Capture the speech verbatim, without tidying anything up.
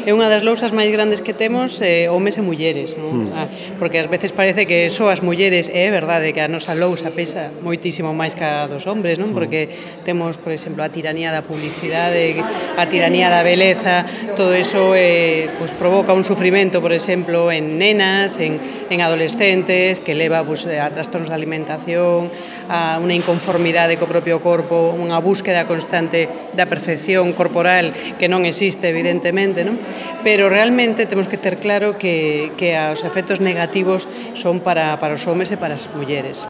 é unha das lousas máis grandes que temos eh, homes e mulleres, non? Mm. Ah, porque ás veces parece que só as mulleres, e é verdade que a nosa lousa pesa moitísimo máis que a dos hombres, non? Porque temos, por exemplo, a tiranía da publicidade, a tiranía da beleza, todo eso eh, pues, provoca un sufrimento, por exemplo, en nenas, en, en adolescentes, que leva pues, a trastornos de alimentación, a unha inconformidade co propio corpo, unha búsqueda constante da perfección corporal que non existe, evidentemente, non? Pero realmente temos que ter claro que, que os efectos negativos son para, para os homes e para as mulleres.